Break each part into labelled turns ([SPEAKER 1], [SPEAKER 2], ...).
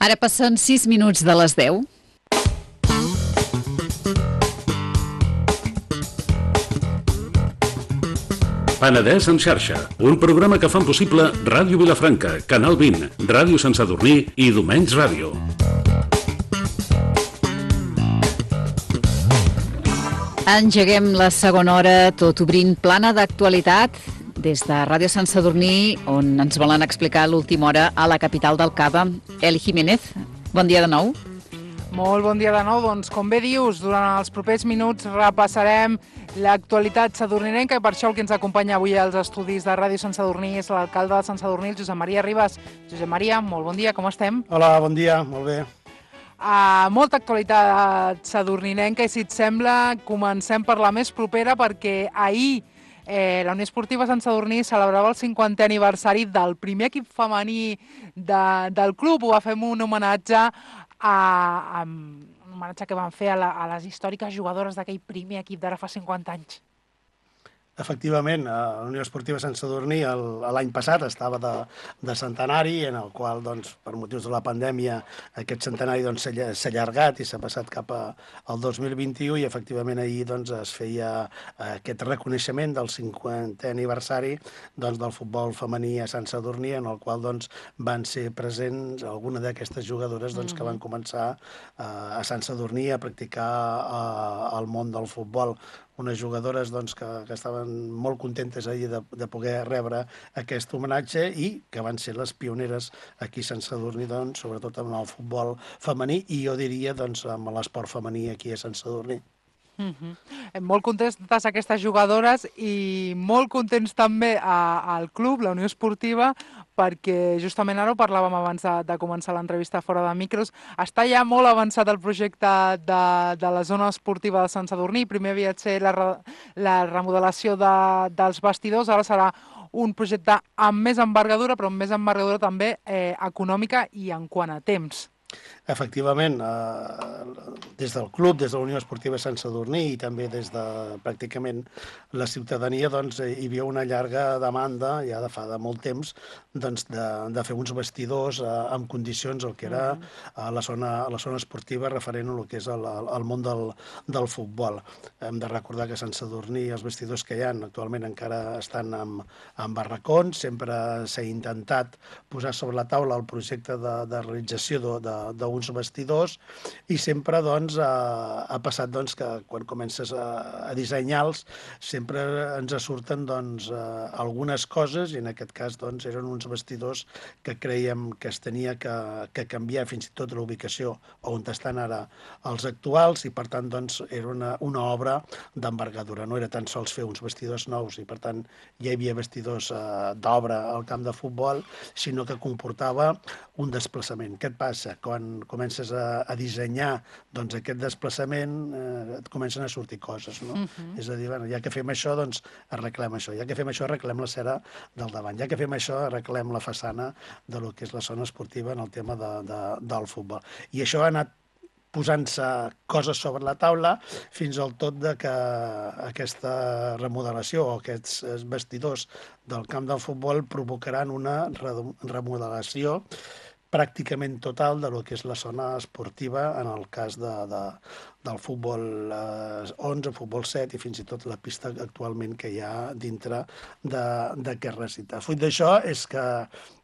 [SPEAKER 1] Ara passen 6 minuts de les 10.
[SPEAKER 2] Penedès en xarxa, un programa que fan possible Ràdio Vilafranca, Canal 20, Ràdio Sant Sadurní i Domenys Ràdio.
[SPEAKER 1] Engeguem la segona hora, tot obrint plana d'actualitat des de Ràdio Sant Sadurní, on ens volen explicar l'última hora a la capital del Cava, Eli Jiménez. Bon dia de nou.
[SPEAKER 3] Molt bon dia de nou. Doncs, com bé dius, durant els propers minuts repassarem l'actualitat sadurninenca i per això el que ens acompanya avui als estudis de Ràdio Sant Sadurní és l'alcalde de Sant Sadurní, el Josep Maria Ribas. Josep Maria, molt bon dia, com estem?
[SPEAKER 4] Hola, bon dia, molt bé.
[SPEAKER 3] Molta actualitat sadurninenca i si et sembla comencem per la més propera perquè ahir la Unió Esportiva Sant Sadurní celebrava el 50è aniversari del primer equip femení del club. Ho va fer un homenatge un homenatge que van fer a les històriques jugadores d'aquell primer equip d'ara fa 50 anys.
[SPEAKER 4] Efectivament, la Unió Esportiva Sant Sadurní l'any passat estava de centenari, en el qual, doncs, per motius de la pandèmia, aquest centenari doncs, s'ha allargat i s'ha passat cap al 2021 i, efectivament, ahir doncs, es feia aquest reconeixement del 50è aniversari doncs, del futbol femení a Sant Sadurní, en el qual doncs, van ser presents alguna d'aquestes jugadores doncs, que van començar a Sant Sadurní a practicar el món del futbol. Unes jugadores doncs, que estaven molt contentes ahir de poder rebre aquest homenatge i que van ser les pioneres aquí a Sant Sadurní, doncs, sobretot amb el futbol femení i jo diria doncs, amb l'esport femení aquí a Sant Sadurní.
[SPEAKER 3] Molt contentes aquestes jugadores i molt contents també al club, la Unió Esportiva, perquè justament ara ho parlàvem abans de començar l'entrevista fora de micros, està ja molt avançat el projecte de la zona esportiva de Sant Sadurní. Primer havia de ser la remodelació dels vestidors, ara serà un projecte amb més envergadura, però amb més envergadura també econòmica i en quant a temps.
[SPEAKER 4] Efectivament, des del club, des de la Unió Esportiva Sant Sadurní i també des de pràcticament la ciutadania doncs, hi havia una llarga demanda, ja de fa molt temps, doncs, de fer uns vestidors en condicions, el que era la zona esportiva referent al que és el món del futbol. Hem de recordar que a Sant Sadurní els vestidors que hi ha actualment encara estan en barracons, sempre s'ha intentat posar sobre la taula el projecte de realització d'uns vestidors i sempre doncs, ha passat doncs, que quan comences a dissenyar-los sempre ens surten doncs, algunes coses i en aquest cas doncs, eren uns vestidors que creiem que es tenia que canviar fins i tot l'ubicació on estan ara els actuals i per tant doncs, era una obra d'envergadura. No era tan sols fer uns vestidors nous i per tant ja hi havia vestidors d'obra al camp de futbol, sinó que comportava un desplaçament. Què et passa? Quan comences a dissenyar doncs, aquest desplaçament et comencen a sortir coses. No? És a dir, bueno, ja que fem això, doncs arreglem això. Ja que fem això, arreglem la cera del davant. Ja que fem això, arreglem la façana de lo que és la zona esportiva en el tema del futbol. I això ha anat posant-se coses sobre la taula fins al tot de que aquesta remodelació o aquests vestidors del camp del futbol provocaran una remodelació pràcticament total de lo que és la zona esportiva en el cas del futbol 11, futbol 7 i fins i tot la pista actualment que hi ha dintre d'aquest recinte. Fruit d'això és que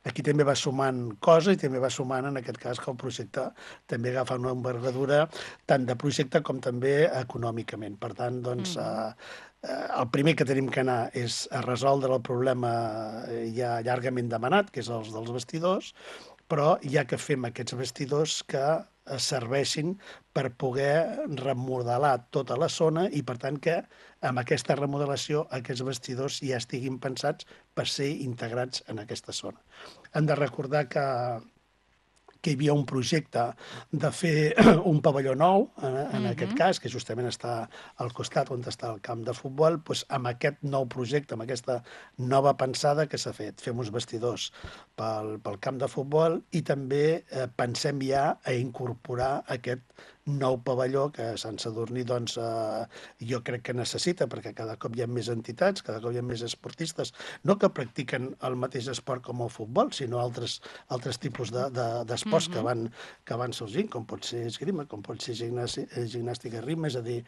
[SPEAKER 4] aquí també va sumant coses i també va sumant en aquest cas que el projecte també agafa una envergadura tant de projecte com també econòmicament. Per tant, doncs, el primer que tenim que anar és a resoldre el problema ja llargament demanat, que és els dels vestidors, però ja que fem aquests vestidors que serveixin per poder remodelar tota la zona i, per tant, que amb aquesta remodelació aquests vestidors ja estiguin pensats per ser integrats en aquesta zona. Hem de recordar que hi havia un projecte de fer un pavelló nou, en aquest cas, que justament està al costat on està el camp de futbol, doncs amb aquest nou projecte, amb aquesta nova pensada que s'ha fet. Fem uns vestidors pel camp de futbol i també pensem ja a incorporar aquest nou pavelló que Sant Sadurní doncs, jo crec que necessita, perquè cada cop hi ha més entitats, cada cop hi ha més esportistes, no que practiquen el mateix esport com el futbol, sinó altres tipus d'esports que van sorgint, com pot ser esgrima, com pot ser gimnàstica ritme, és a dir,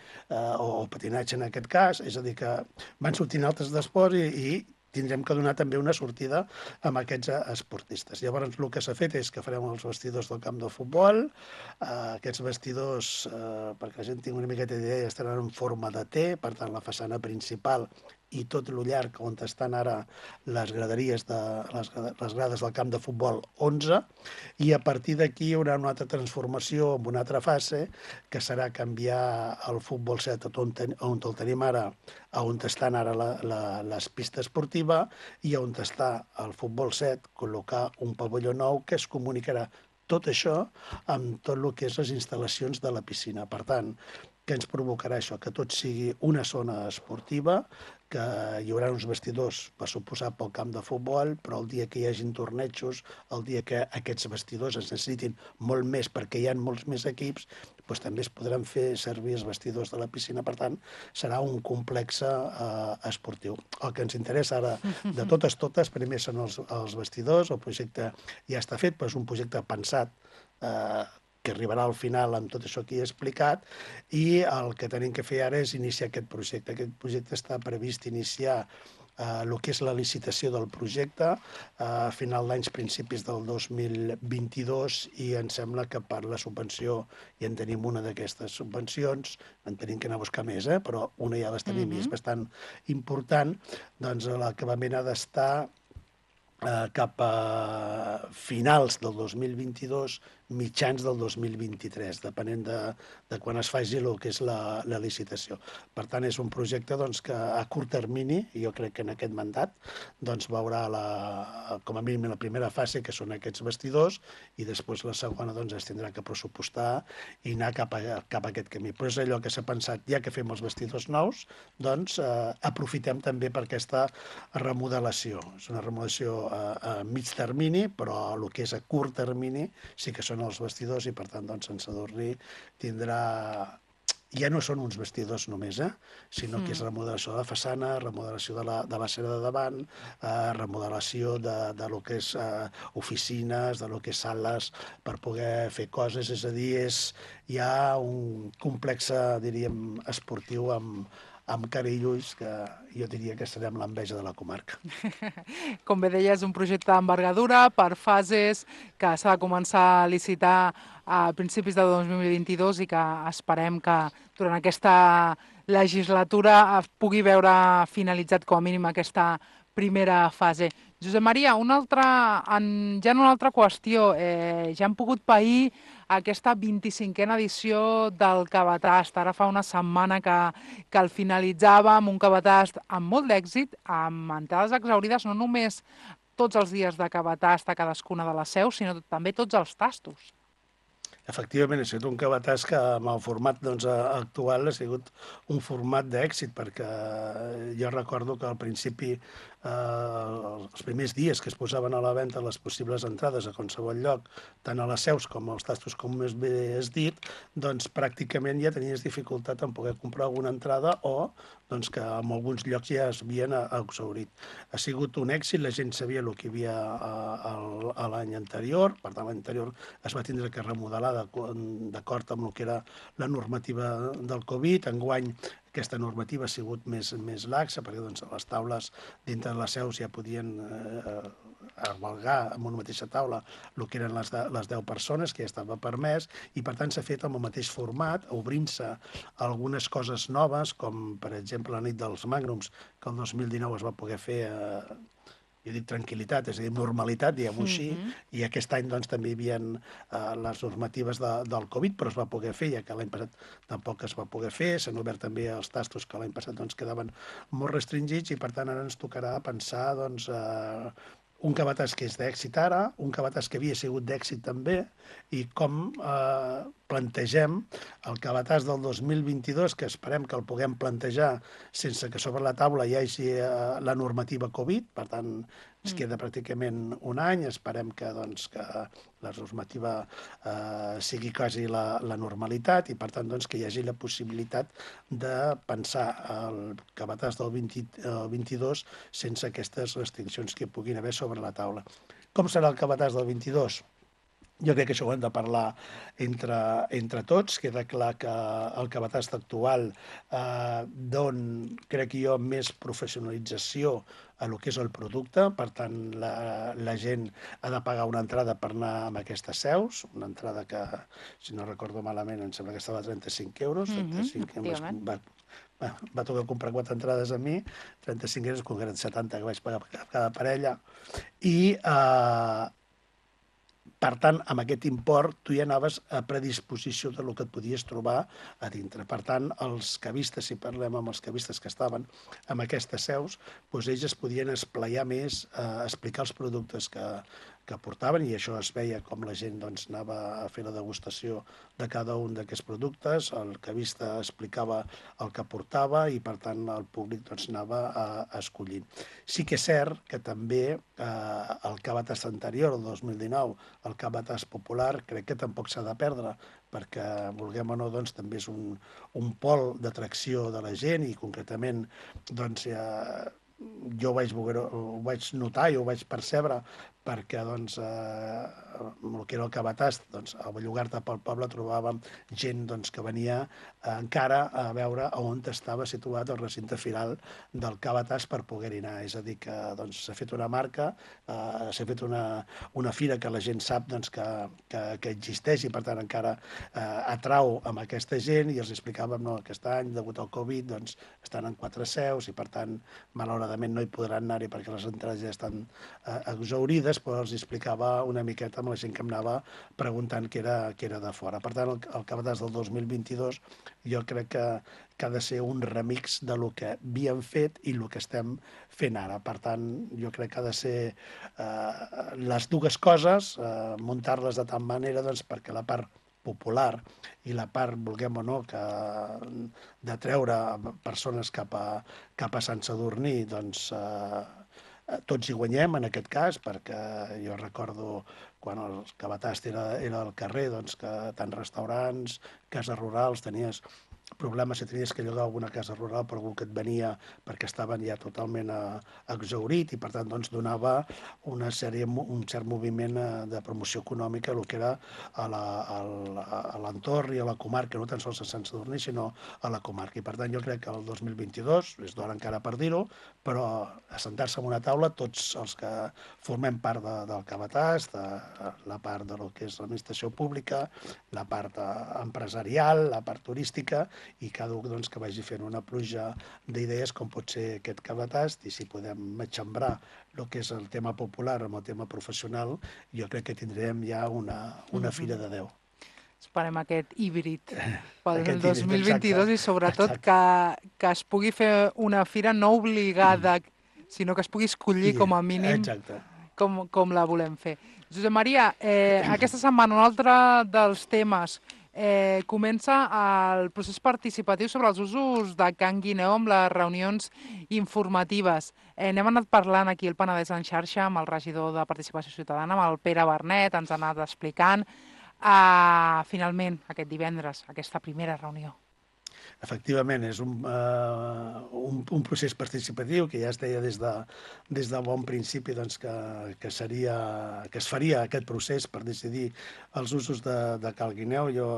[SPEAKER 4] o patinatge en aquest cas, és a dir, que van sortint altres d'esports i tindrem que donar també una sortida amb aquests esportistes. Llavors, el que s'ha fet és que farem els vestidors del camp de futbol. Aquests vestidors, perquè la gent tingui una miqueta d'idea, estaran en forma de T, per tant, la façana principal i tot el llarg on estan ara les graderies les grades del camp de futbol 11, i a partir d'aquí hi haurà una altra transformació amb una altra fase, que serà canviar el futbol 7 on el tenim ara, a on estan ara les pistes esportiva, i on està el futbol 7, col·locar un pavelló nou que es comunicarà tot això amb tot el que és les instal·lacions de la piscina. Per tant, què ens provocarà això? Que tot sigui una zona esportiva, que hi haurà uns vestidors, per suposar, pel camp de futbol, però el dia que hi hagin tornejos, el dia que aquests vestidors es necessitin molt més perquè hi ha molts més equips, doncs també es podran fer servir els vestidors de la piscina. Per tant, serà un complex esportiu. El que ens interessa ara, de totes, primer són els vestidors, el projecte ja està fet, però és un projecte pensat que arribarà al final amb tot això que he explicat, i el que tenim que fer ara és iniciar aquest projecte. Aquest projecte està previst iniciar el que és la licitació del projecte a final d'anys, principis del 2022, i em sembla que per la subvenció ja en tenim una d'aquestes subvencions, en tenim que anar a buscar més, però una ja les tenim i és bastant important, doncs l'acabament ha d'estar cap a finals del 2022, mitjans del 2023, depenent de quan es faci el que és la licitació. Per tant, és un projecte que a curt termini, jo crec que en aquest mandat, veurà com a mínim la primera fase, que són aquests vestidors, i després la segona es tindrà que pressupostar i anar cap a aquest camí. Però és allò que s'ha pensat, ja que fem els vestidors nous, aprofitem també per aquesta remodelació. És una remodelació a mig termini, però el que és a curt termini sí que són els vestidors, i per tant Sant Sadurní tindrà... Ja no són uns vestidors només, sinó que és remodelació de la façana, remodelació de la cera de davant, remodelació de lo que és oficines, de lo que és sales per poder fer coses. És a dir, hi ha un complex, diríem, esportiu amb cara i ulls, que jo diria que serem l'enveja de la comarca.
[SPEAKER 3] Com bé deia, és un projecte d'envergadura per fases que s'ha de començar a licitar a principis de 2022 i que esperem que durant aquesta legislatura es pugui veure finalitzat com a mínim aquesta primera fase. Josep Maria, ja en una altra qüestió, ja hem pogut pair aquesta 25a edició del Cabatast. Ara fa una setmana que el finalitzàvem, un Cabatast amb molt d'èxit, amb entrades exaurides, no només tots els dies de Cabatast a cadascuna de les seus, sinó també tots els tastos.
[SPEAKER 4] Efectivament, ha sigut un Cabatast que amb el format actual ha sigut un format d'èxit, perquè jo recordo que al principi, els primers dies que es posaven a la venda les possibles entrades a qualsevol lloc, tant a les seus com als tastos, com més bé has dit, pràcticament ja tenies dificultat en poder comprar alguna entrada, o que en alguns llocs ja es havien exhaurit. Ha sigut un èxit, la gent sabia el que hi havia l'any anterior, per tant l'any anterior es va tindre que remodelar d'acord amb el que era la normativa del Covid. Enguany aquesta normativa ha sigut més laxa, perquè les taules dintre de les seus ja podien albergar en una mateixa taula el que eren les 10 persones, que ja estava permès, i per tant s'ha fet amb el mateix format, obrint-se algunes coses noves, com per exemple la nit dels Magnums, que el 2019 es va poder fer jo dic tranquil·litat, és a dir, normalitat, diguem-ho així, i aquest any també hi havia les normatives del Covid, però es va poder fer, ja que l'any passat tampoc es va poder fer. S'han obert també els tastos que l'any passat quedaven molt restringits, i per tant ara ens tocarà pensar un Cabatast que és d'èxit ara, un Cabatast que havia sigut d'èxit també, i com plantegem el Cabatast del 2022, que esperem que el puguem plantejar sense que sobre la taula hi hagi la normativa Covid, per tant, Es queda pràcticament un any, esperem que la normativa sigui quasi la normalitat i, per tant, que hi hagi la possibilitat de pensar el cabàs del 22 sense aquestes restriccions que puguin haver sobre la taula. Com serà el cabàs del 22? Jo crec que això ho hem de parlar entre tots. Queda clar que el cabàs actual dona, crec jo, més professionalització a lo que és el producte. Per tant, la gent ha de pagar una entrada per anar amb aquestes seus, una entrada que, si no recordo malament, em sembla que estava a 35 euros. 35 euros. Va tocar comprar 4 entrades a mi, 35 euros, com eren 70 que vaig pagar per cada parella. I per tant, amb aquest import, tu ja anaves a predisposició del que et podies trobar a dintre. Per tant, els càvistes, si parlem amb els càvistes que estaven en aquestes seus, ells es podien esplaiar més a explicar els productes que portaven, i això es veia com la gent anava a fer la degustació de cada un d'aquests productes, el cavista explicava el que portava i, per tant, el públic anava escollint. Sí que és cert que també el cabàs anterior, el 2019, el cabàs popular, crec que tampoc s'ha de perdre, perquè, vulguem o no, també és un pol d'atracció de la gent i, concretament, jo ho vaig notar i ho vaig percebre perquè el que era el cabàs, a Bellugarda pel poble trobàvem gent que venia encara a veure on estava situat el recinte firal del cabàs per poder-hi anar. És a dir, que s'ha fet una marca, s'ha fet una fira que la gent sap que existeix i, per tant, encara atrau amb aquesta gent, i els explicàvem que aquest any, degut al Covid, estan en 4 seus i, per tant, malauradament no hi podran anar-hi perquè les entrades ja estan exhaurides, però els explicava una miqueta amb la gent que em anava preguntant que era de fora. Per tant, el cabàs del 2022 jo crec que ha de ser un remix de lo que havíem fet i el que estem fent ara. Per tant, jo crec que ha de ser les dues coses, muntar-les de tal manera perquè la part popular i la part, vulguem o no, de treure persones cap a Sant Sadurní, tots hi guanyem en aquest cas, perquè jo recordo quan el cabàs era al carrer, que tant restaurants, cases rurals, tenies problemes si tenies que llogar alguna casa rural per algú que et venia perquè estaven ja totalment exhaurit, i per tant donava un cert moviment de promoció econòmica el que era a l'entorn i a la comarca, no tan sols a Sant Sadurní, sinó a la comarca. I per tant jo crec que el 2022, és d'hora encara per dir-ho, però assentar-se en una taula tots els que formem part del cabàs, de la part de lo que és l'administració pública, la part empresarial, la part turística, i cada un que vagi fent una pluja d'idees com pot ser aquest cabàs, i si podem matxembrar el que és el tema popular amb el tema professional, jo crec que tindrem ja una fira de 10.
[SPEAKER 3] Esperem aquest híbrid pel 2022 i sobretot que es pugui fer una fira no obligada, sinó que es pugui escollir com a mínim com la volem fer. Josep Maria, aquesta setmana un altre dels temes comença el procés participatiu sobre els usos de Can Guineu amb les reunions informatives. N'hem anat parlant aquí al Penedès en xarxa amb el regidor de Participació Ciutadana, amb el Pere Bernet, ens ha anat explicant. Finalment, aquest divendres, aquesta primera reunió.
[SPEAKER 4] Efectivament, és un procés participatiu que ja es deia des de bon principi que es faria aquest procés per decidir els usos de Cal Guineu. Jo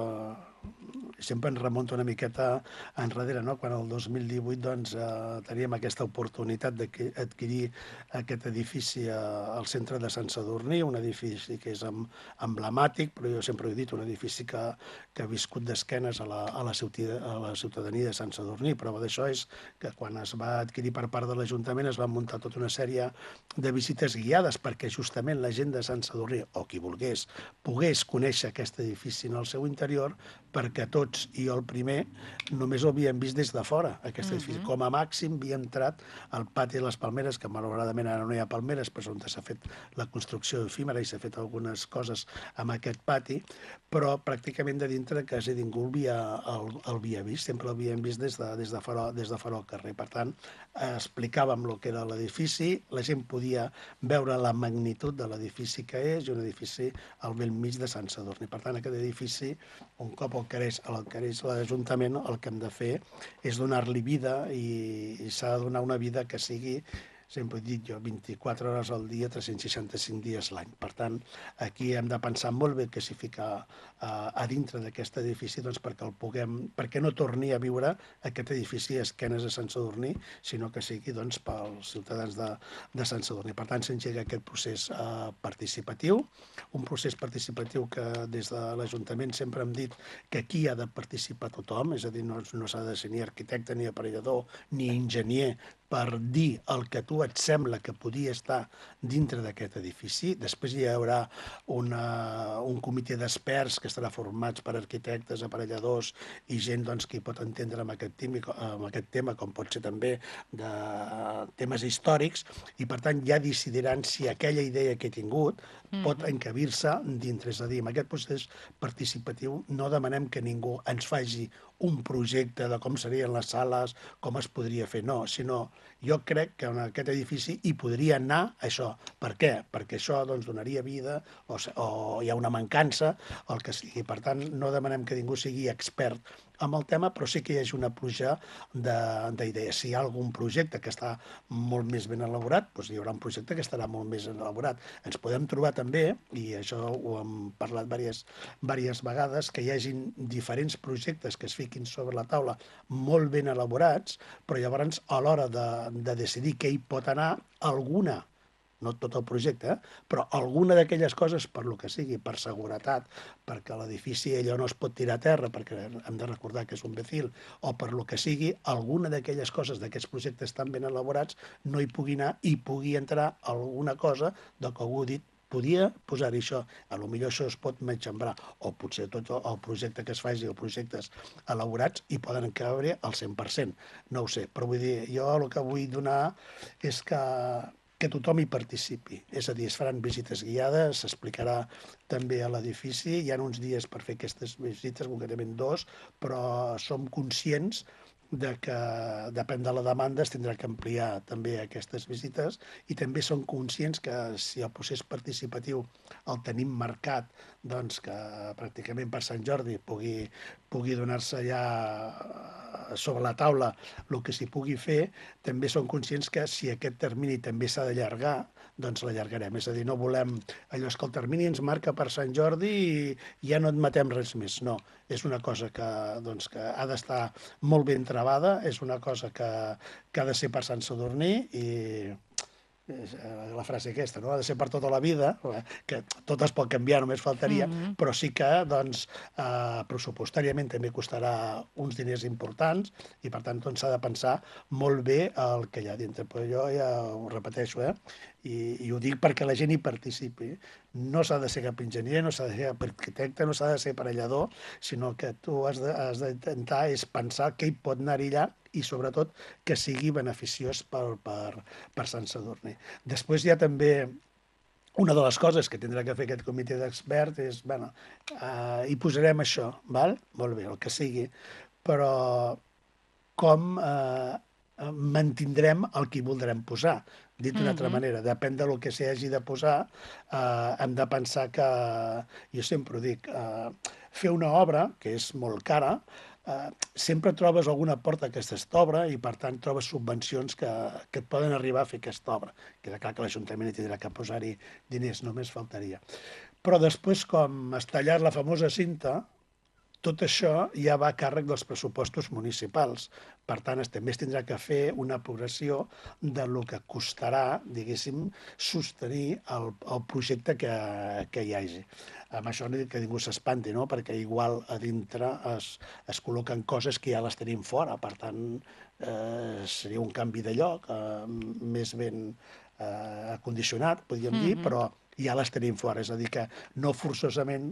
[SPEAKER 4] sempre ens remunto una miqueta enrere, quan el 2018 teníem aquesta oportunitat d'adquirir aquest edifici al centre de Sant Sadurní, un edifici que és emblemàtic, però jo sempre he dit, un edifici que ha viscut d'esquenes a la ciutadania de Sant Sadurní. Prova d'això és que quan es va adquirir per part de l'Ajuntament es van muntar tota una sèrie de visites guiades perquè justament la gent de Sant Sadurní, o qui volgués, pogués conèixer aquest edifici en el seu interior, perquè tots benvinguts i jo el primer només ho havíem vist des de fora, aquest edifici. Com a màxim havia entrat al pati de les Palmeres, que malauradament ara no hi ha palmeres, però és on s'ha fet la construcció efímera i s'ha fet algunes coses amb aquest pati, però pràcticament de dintre quasi ningú el havia vist, sempre l'havíem vist des de fora al carrer. Per tant, explicàvem el que era l'edifici, la gent podia veure la magnitud de l'edifici que és, i un edifici al bell mig de Sant Sadurní. Per tant, aquest edifici, un cop el quereix l'Ajuntament, el que hem de fer és donar-li vida i s'ha de donar una vida que sigui, sempre he dit jo, 24 hores al dia, 365 dies l'any. Per tant, aquí hem de pensar molt bé què s'hi fica a dintre d'aquest edifici perquè no torni a viure aquest edifici a esquenes a Sant Sadurní, sinó que sigui pels ciutadans de Sant Sadurní. Per tant, s'engega aquest procés participatiu, un procés participatiu que des de l'Ajuntament sempre hem dit que aquí ha de participar tothom, és a dir, no s'ha de ser ni arquitecte, ni aparellador, ni enginyer, per dir el que a tu et sembla que podia estar dintre d'aquest edifici. Després hi haurà un comitè d'experts que estarà formats per arquitectes, aparelladors i gent que hi pot entendre amb aquest tema, com pot ser també de temes històrics, i per tant ja decidiran si aquella idea que he tingut pot encabir-se dintre. És a dir, amb aquest procés participatiu no demanem que ningú ens faci un projecte de com serien les sales, com es podria fer, no, sinó jo crec que en aquest edifici hi podria anar això. Per què? Perquè això donaria vida o hi ha una mancança, el que sigui. Per tant, no demanem que ningú sigui expert amb el tema, però sí que hi hagi una pluja d'idees. Si hi ha algun projecte que està molt més ben elaborat, doncs hi haurà un projecte que estarà molt més elaborat. Ens podem trobar també, i això ho hem parlat diverses vegades, que hi hagin diferents projectes que es fiquin sobre la taula molt ben elaborats, però llavors a l'hora de decidir què hi pot anar, alguna, no tot el projecte, però alguna d'aquelles coses, per lo que sigui, per seguretat, perquè l'edifici allò no es pot tirar a terra, perquè hem de recordar que és un becil, o per lo que sigui, alguna d'aquelles coses, d'aquests projectes tan ben elaborats, no hi pugui anar i pugui entrar alguna cosa de que algú ha dit podia posar-hi això, potser això es pot menjambrar, o potser tot el projecte que es faci o projectes elaborats hi poden cabre al 100%, no ho sé, però vull dir, jo el que vull donar és que tothom hi participi, és a dir, es faran visites guiades, s'explicarà també a l'edifici, hi ha uns dies per fer aquestes visites, concretament 2, però som conscients de que depèn de la demanda es tindrà que ampliar també aquestes visites i també som conscients que si el procés participatiu el tenim marcat, doncs que pràcticament per Sant Jordi pugui donar-se ja sobre la taula el que s'hi pugui fer, també som conscients que si aquest termini també s'ha d'allargar, doncs l'allargarem. És a dir, no volem allò que el termini ens marca per Sant Jordi i ja no admetem res més. No, és una cosa que ha d'estar molt ben trebada, és una cosa que ha de ser per Sant Sadurní i la frase aquesta, no? Ha de ser per tota la vida, que tot es pot canviar, només faltaria, però sí que pressupostàriament també costarà uns diners importants i per tant s'ha de pensar molt bé el que hi ha dintre. Però jo ja ho repeteixo, i ho dic perquè la gent hi participi. No s'ha de ser cap enginyer, no s'ha de ser cap arquitecte, no s'ha de ser aparellador, sinó que tu has d'intentar és pensar què hi pot anar allà i sobretot que sigui beneficiós per Sant Sadurní. Després hi ha també una de les coses que tindrà que fer aquest comitè d'experts és, hi posarem això, val? Molt bé, el que sigui, però com mantindrem el que hi voldrem posar? Dit d'una altra manera, depèn del que s'hi hagi de posar, hem de pensar que, jo sempre ho dic, fer una obra, que és molt cara, sempre trobes alguna porta a aquesta obra i per tant trobes subvencions que et poden arribar a fer aquesta obra. Queda clar que l'Ajuntament hi tindrà que posar-hi diners, només faltaria. Però després, com has tallat la famosa cinta, tot això ja va a càrrec dels pressupostos municipals. Per tant, també es tindrà que fer una progressió del que costarà, diguéssim, sostenir el projecte que hi hagi. Amb això no dic que ningú s'espanti, no? Perquè igual a dintre es col·loquen coses que ja les tenim fora. Per tant, seria un canvi de lloc més ben acondicionat, podríem dir, però ja les tenim fora. És a dir, que no forçosament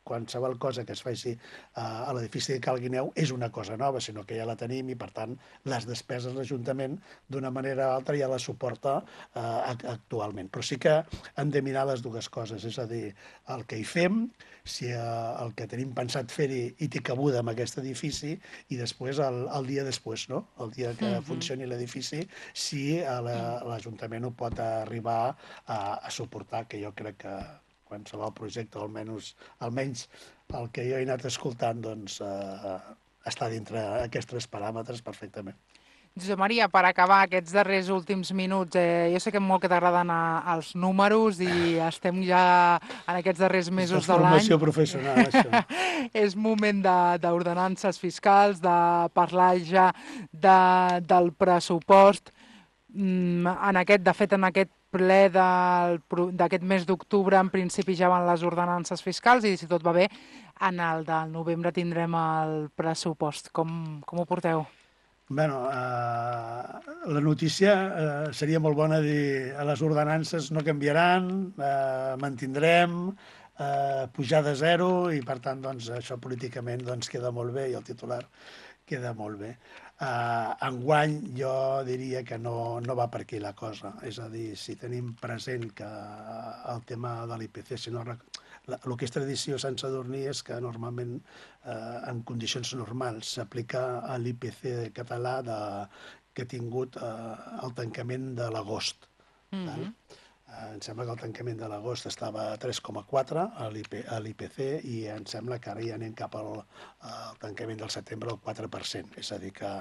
[SPEAKER 4] qualsevol cosa que es faci a l'edifici de Cal Guineu és una cosa nova, sinó que ja la tenim i, per tant, les despeses l'Ajuntament d'una manera o altra ja la suporta actualment. Però sí que hem de mirar les dues coses, és a dir, el que hi fem, si el que tenim pensat fer-hi hi té cabuda en aquest edifici, i després el dia després, no? El dia que funcioni l'edifici, si l'Ajuntament ho pot arribar a suportar, que jo crec que qualsevol projecte, almenys el que jo he anat escoltant, doncs està dintre aquests 3 paràmetres perfectament.
[SPEAKER 3] Josep Maria, per acabar aquests darrers últims minuts, jo sé que molt que t'agraden els números i estem ja en aquests darrers mesos de l'any.
[SPEAKER 4] Formació professional, això.
[SPEAKER 3] És moment d'ordenances fiscals, de parlar ja del pressupost. De fet, en aquest ple d'aquest mes d'octubre, en principi ja van les ordenances fiscals i, si tot va bé, en el del novembre tindrem el pressupost. Com ho porteu?
[SPEAKER 4] Bé, la notícia seria molt bona dir les ordenances no canviaran, mantindrem, pujar de 0 i, per tant, això políticament queda molt bé i el titular queda molt bé. Enguany jo diria que no va per aquí la cosa. És a dir, si tenim present que el tema de l'IPC, el que és tradició a Sant Sadurní és que normalment en condicions normals s'aplica a l'IPC català que ha tingut el tancament de l'agost. Em sembla que el tancament de l'agost estava a 3,4 a l'IPC i em sembla que ara ja anem cap al tancament del setembre al 4%. És a dir, que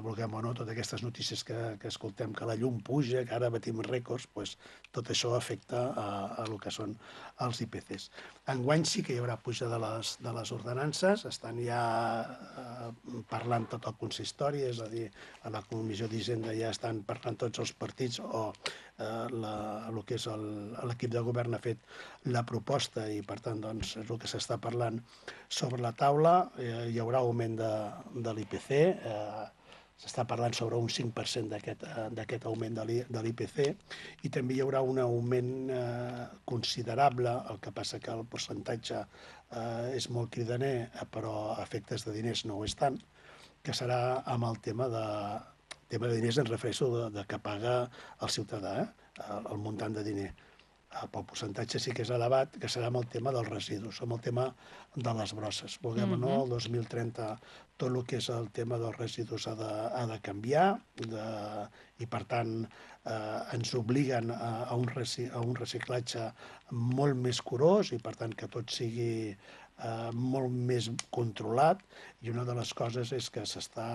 [SPEAKER 4] vulguem o no, totes aquestes notícies que escoltem, que la llum puja, que ara batim rècords, tot això afecta a el que són els IPCs. Enguany sí que hi haurà puja de les ordenances, estan ja parlant tot el consistori, és a dir, a la Comissió d'Hisenda ja estan parlant tots els partits o el que és l'equip de govern ha fet la proposta i, per tant, és el que s'està parlant sobre la taula. Hi haurà augment de l'IPC, s'està parlant sobre un 5% d'aquest augment de l'IPC i també hi haurà un augment considerable, el que passa que el percentatge és molt cridaner, però a efectes de diners no ho és tant, que serà amb el tema de diners, em refereixo de que paga el ciutadà, el muntant de diner. Pel percentatge sí que és elevat, que serà amb el tema dels residus, amb el tema de les brosses. Vulguem o no, el 2030 tot el que és el tema dels residus ha de canviar i, per tant, ens obliguen a un reciclatge molt més curós i, per tant, que tot sigui molt més controlat. I una de les coses és que s'està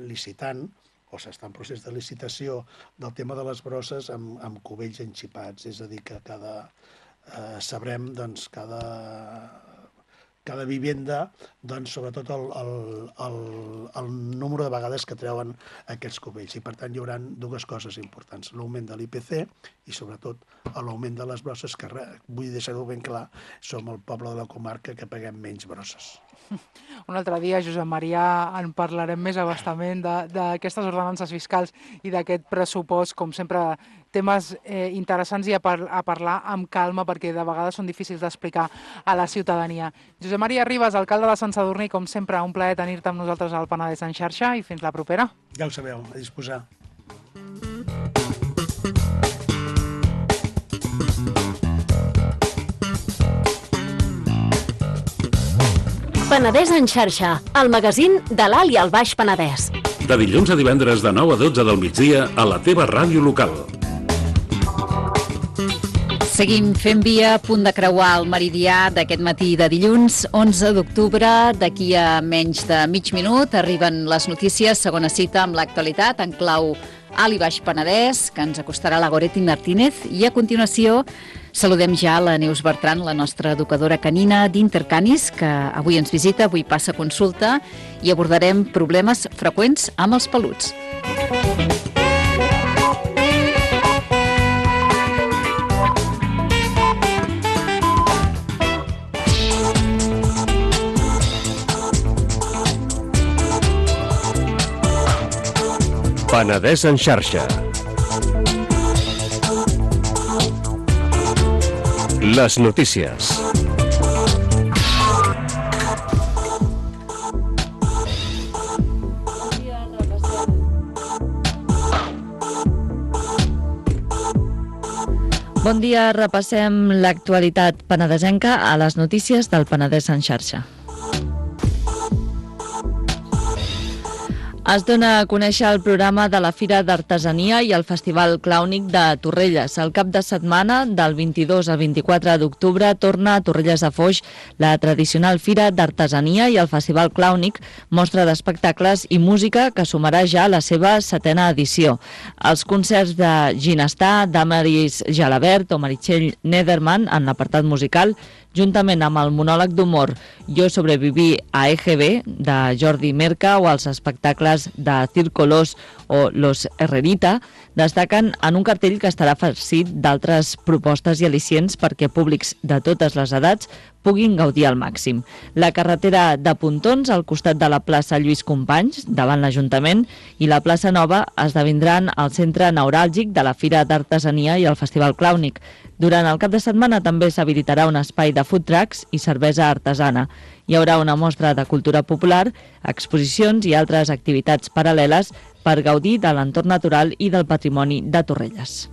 [SPEAKER 4] licitant o s'està en procés de licitació del tema de les brosses amb cubells enxipats. És a dir, que sabrem cada vivenda, sobretot el número de vegades que treuen aquests cubells. I, per tant, hi haurà dues coses importants. L'augment de l'IPC i, sobretot, l'augment de les brosses, que vull deixar-ho ben clar, som el poble de la comarca que paguem menys brosses.
[SPEAKER 3] Un altre dia, Josep Maria, en parlarem més abastament d'aquestes ordenances fiscals i d'aquest pressupost, com sempre, temes interessants i a parlar amb calma perquè de vegades són difícils d'explicar a la ciutadania. Josep Maria Ribas, alcalde de Sant Sadurní, com sempre, un plaer tenir-te amb nosaltres al Penedès en xarxa i fins la propera.
[SPEAKER 4] Ja ho sabeu, a disposar.
[SPEAKER 5] Penedès en xarxa, el magazín de l'Alt i el Baix Penedès.
[SPEAKER 2] De dilluns a divendres de 9 a 12 del migdia a la teva ràdio local.
[SPEAKER 1] Seguim fent via, a punt de creuar el meridià d'aquest matí de dilluns, 11 d'octubre. D'aquí a menys de mig minut arriben les notícies, segona cita amb l'actualitat en clau Alt i Baix Penedès, que ens acostarà la Goretti Martínez, i a continuació saludem ja la Neus Bertran, la nostra educadora canina d'Intercanis, que avui ens visita, avui passa consulta i abordarem problemes freqüents amb els peluts.
[SPEAKER 6] Penedès en xarxa. Les notícies. Bon dia, repassem l'actualitat penedesenca a les notícies del Penedès en xarxa. Es dona a conèixer el programa de la Fira d'Artesania i el Festival Clàunic de Torrelles. El cap de setmana, del 22 al 24 d'octubre, torna a Torrelles de Foix la tradicional Fira d'Artesania i el Festival Clàunic, mostra d'espectacles i música que sumarà ja la seva 7a edició. Els concerts de Ginestar, Damaris Jalabert o Meritxell Nederman en l'apartat musical, juntament amb el monòleg d'humor Jo sobreviví a EGB, de Jordi Merca, o els espectacles de Círculos o Los Herrerita, destaquen en un cartell que estarà farcit d'altres propostes i al·licients perquè públics de totes les edats puguin gaudir al màxim. La carretera de Pontons, al costat de la plaça Lluís Companys, davant l'Ajuntament, i la plaça Nova esdevindran el centre neuràlgic de la Fira d'Artesania i el Festival Clàunic. Durant el cap de setmana també s'habilitarà un espai de food trucks i cervesa artesana. Hi haurà una mostra de cultura popular, exposicions i altres activitats paral·leles per gaudir de l'entorn natural i del patrimoni de Torrelles.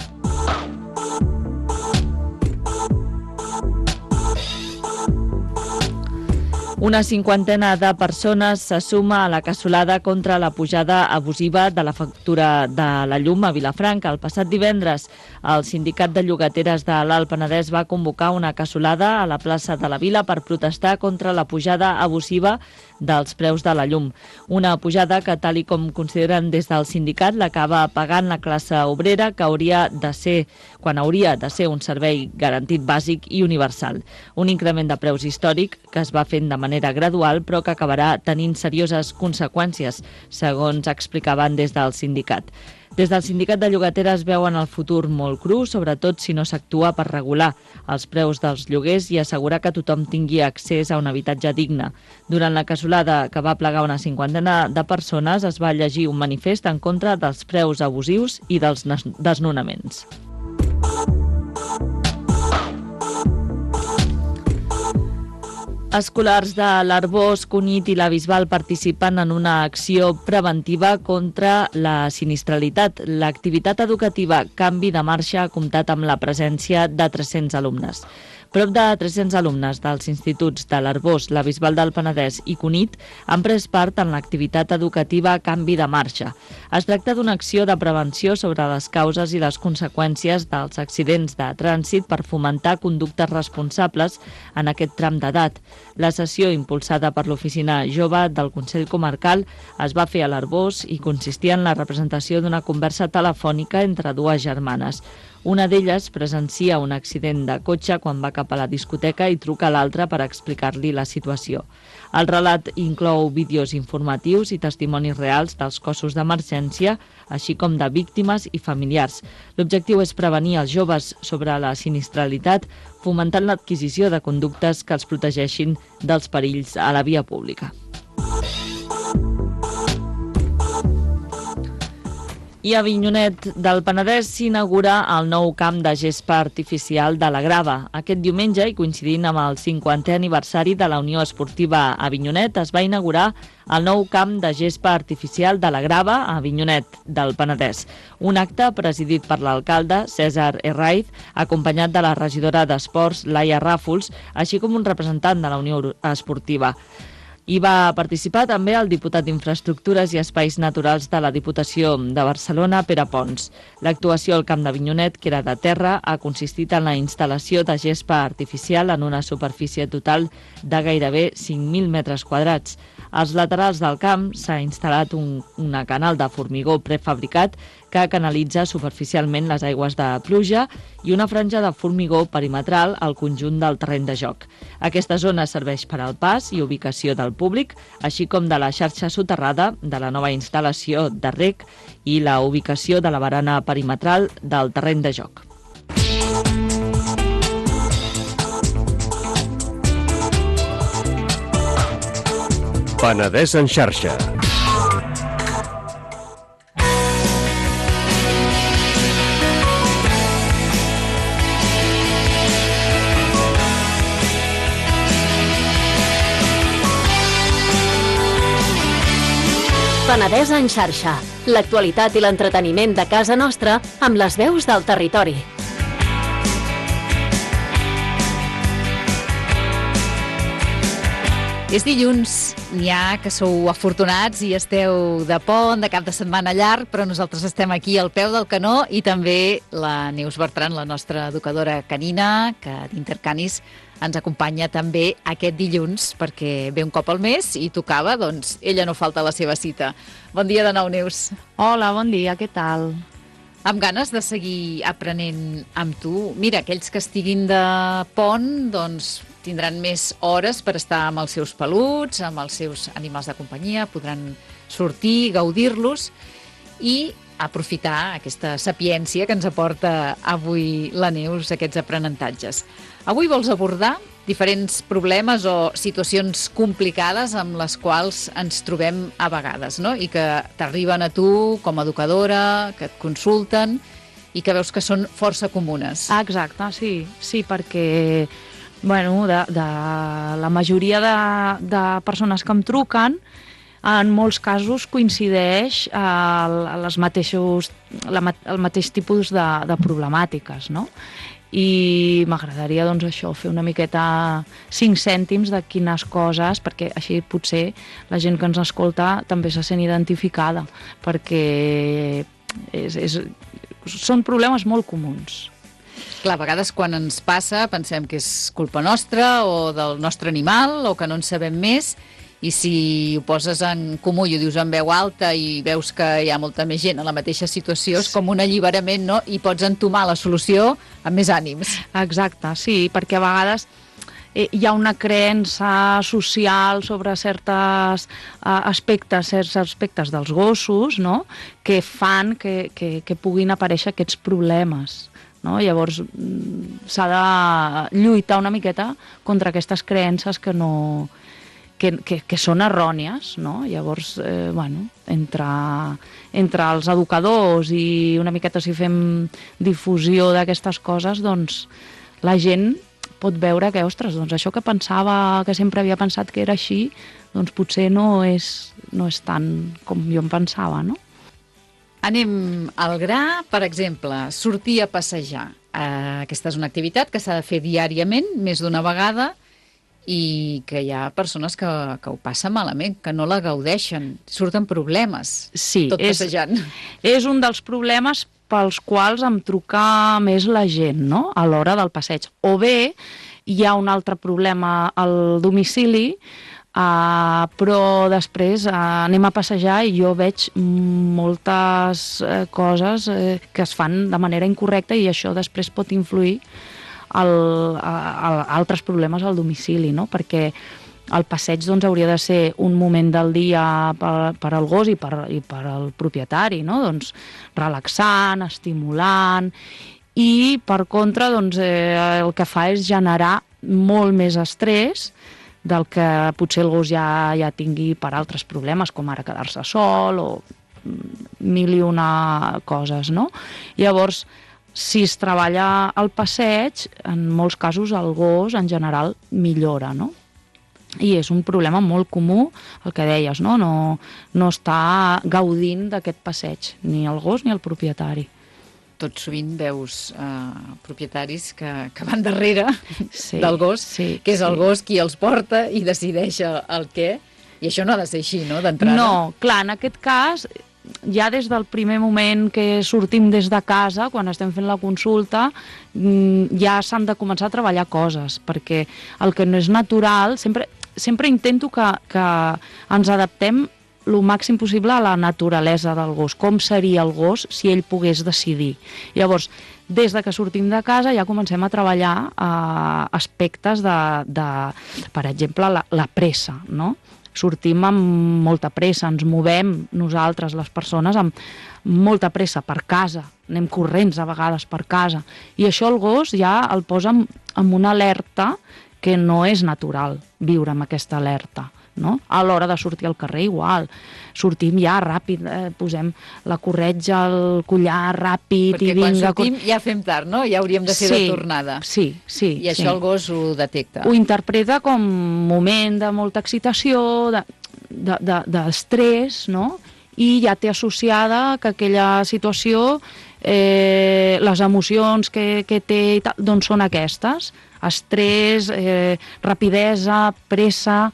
[SPEAKER 6] Una cinquantena de persones se suma a la cassolada contra la pujada abusiva de la factura de la llum a Vilafranca. El passat divendres, el Sindicat de Llogateres de l'Alt Penedès va convocar una cassolada a la plaça de la Vila per protestar contra la pujada abusiva dels preus de la llum. Una pujada que, tal i com consideren des del sindicat, l'acaba pagant la classe obrera, que hauria de ser un servei garantit bàsic i universal. Un increment de preus històric que es va fent de manera gradual, però que acabarà tenint serioses conseqüències, segons explicaven des del sindicat. Des del Sindicat de Llogateres veuen el futur molt cru, sobretot si no s'actua per regular els preus dels lloguers i assegurar que tothom tingui accés a un habitatge digne. Durant la cassolada, que va plegar una cinquantena de persones, es va llegir un manifest en contra dels preus abusius i dels desnonaments. Escolars de l'Arboç, Cunit i la Bisbal participen en una acció preventiva contra la sinistralitat. L'activitat educativa Canvi de Marxa ha comptat amb la presència de 300 alumnes. Prop de 300 alumnes dels instituts de l'Arboç, la Bisbal del Penedès i Cunit han pres part en l'activitat educativa Canvi de Marxa. Es tracta d'una acció de prevenció sobre les causes i les conseqüències dels accidents de trànsit per fomentar conductes responsables en aquest tram d'edat. La sessió, impulsada per l'Oficina Jove del Consell Comarcal, es va fer a l'Arboç i consistia en la representació d'una conversa telefònica entre dues germanes. Una d'elles presencia un accident de cotxe quan va cap a la discoteca i truca a l'altra per explicar-li la situació. El relat inclou vídeos informatius i testimonis reals dels cossos d'emergència, així com de víctimes i familiars. L'objectiu és prevenir els joves sobre la sinistralitat, fomentant l'adquisició de conductes que els protegeixin dels perills a la via pública. I a Avinyonet del Penedès s'inaugura el nou camp de gespa artificial de la Grava. Aquest diumenge, i coincidint amb el 50è aniversari de la Unió Esportiva Avinyonet, es va inaugurar el nou camp de gespa artificial de la Grava a Avinyonet del Penedès. Un acte presidit per l'alcalde César Herraiz, acompanyat de la regidora d'Esports Laia Ràfols, així com un representant de la Unió Esportiva. Hi va participar també el diputat d'Infraestructures i Espais Naturals de la Diputació de Barcelona, Pere Pons. L'actuació al Camp d'Avinyonet, que era de terra, ha consistit en la instal·lació de gespa artificial en una superfície total de gairebé 5.000 metres quadrats. Als laterals del camp s'ha instal·lat un canal de formigó prefabricat que canalitza superficialment les aigües de pluja i una franja de formigó perimetral al conjunt del terreny de joc. Aquesta zona serveix per al pas i ubicació del públic, així com de la xarxa soterrada de la nova instal·lació de rec i la ubicació de la barana perimetral del terreny de joc.
[SPEAKER 2] Penedès en xarxa.
[SPEAKER 5] Penedès en xarxa. L'actualitat i l'entreteniment de casa nostra amb les veus del territori.
[SPEAKER 1] És dilluns, n'hi ha que sou afortunats i esteu de pont, de cap de setmana llarg, però nosaltres estem aquí al peu del canó i també la Neus Bertran, la nostra educadora canina, que d'Intercanis ens acompanya també aquest dilluns perquè ve un cop al mes i tocava, doncs ella no falta a la seva cita. Bon dia de nou, Neus.
[SPEAKER 7] Hola, bon dia, què tal?
[SPEAKER 1] Amb ganes de seguir aprenent amb tu. Mira, aquells que estiguin de pont, doncs tindran més hores per estar amb els seus peluts, amb els seus animals de companyia, podran sortir, gaudir-los i aprofitar aquesta sapiència que ens aporta avui la Neus, aquests aprenentatges. Avui vols abordar diferents problemes o situacions complicades amb les quals ens trobem a vegades, no? I que t'arriben a tu com a educadora, que et consulten i que veus que són força comunes.
[SPEAKER 7] Exacte, sí, perquè bueno, de la majoria de persones que em truquen, en molts casos coincideix el mateix tipus de problemàtiques, no? I m'agradaria, doncs, això, fer una miqueta 5 cèntims de quines coses, perquè així potser la gent que ens escolta també se sent identificada, perquè són problemes molt comuns.
[SPEAKER 1] Clar, a vegades quan ens passa pensem que és culpa nostra o del nostre animal o que no en sabem més, i si ho poses en comú i ho dius en veu alta i veus que hi ha molta més gent en la mateixa situació, és com un alliberament, no? I pots entomar la solució amb més ànims.
[SPEAKER 7] Exacte, sí, perquè a vegades hi ha una creença social sobre certs aspectes dels gossos, no?, que fan que puguin aparèixer aquests problemes. No? Llavors s'ha de lluitar una miqueta contra aquestes creences que són errònies, no? Llavors, entre els educadors i una miqueta si fem difusió d'aquestes coses, doncs la gent pot veure que, ostres, doncs això que pensava, que sempre havia pensat que era així, doncs potser no és tant com jo em pensava, no?
[SPEAKER 1] Anem al gra, per exemple, sortir a passejar. Aquesta és una activitat que s'ha de fer diàriament, més d'una vegada, i que hi ha persones que ho passen malament, que no la gaudeixen, surten problemes, tot passejant.
[SPEAKER 7] És un dels problemes pels quals em truca més la gent, no?, a l'hora del passeig. O bé hi ha un altre problema al domicili, però després anem a passejar i jo veig moltes coses que es fan de manera incorrecta i això després pot influir altres problemes al domicili, no? Perquè el passeig doncs, hauria de ser un moment del dia per al gos i per al propietari, no? Doncs, relaxant, estimulant, i per contra doncs, el que fa és generar molt més estrès del que potser el gos ja tingui per altres problemes, com ara quedar-se sol o mil i una coses, no? Llavors, si es treballa el passeig, en molts casos el gos en general millora, no? I és un problema molt comú, el que deies, no? No està gaudint d'aquest passeig, ni el gos ni el propietari.
[SPEAKER 1] Tot sovint veus propietaris que van darrere del gos, que és el gos qui els porta i decideix el què, i això no ha de ser així, no?, d'entrada.
[SPEAKER 7] No, clar, en aquest cas, ja des del primer moment que sortim des de casa, quan estem fent la consulta, ja s'han de començar a treballar coses, perquè el que no és natural, sempre intento que ens adaptem el màxim possible a la naturalesa del gos, com seria el gos si ell pogués decidir. Llavors, des de que sortim de casa ja comencem a treballar aspectes per exemple, la pressa, no? Sortim amb molta pressa, ens movem nosaltres, les persones, amb molta pressa per casa, anem corrents a vegades per casa, i això el gos ja el posa en una alerta que no és natural viure amb aquesta alerta. No? A l'hora de sortir al carrer igual, sortim ja ràpid, posem la corretja, el collar ràpid,
[SPEAKER 1] perquè quan sortim ja fem tard, no? Ja hauríem de ser de tornada.
[SPEAKER 7] Sí.
[SPEAKER 1] I això el gos ho detecta.
[SPEAKER 7] Ho interpreta com un moment de molta excitació, d'estrès, no? I ja té associada que aquella situació, les emocions que té i tal, doncs són aquestes: estrès, rapidesa, pressa.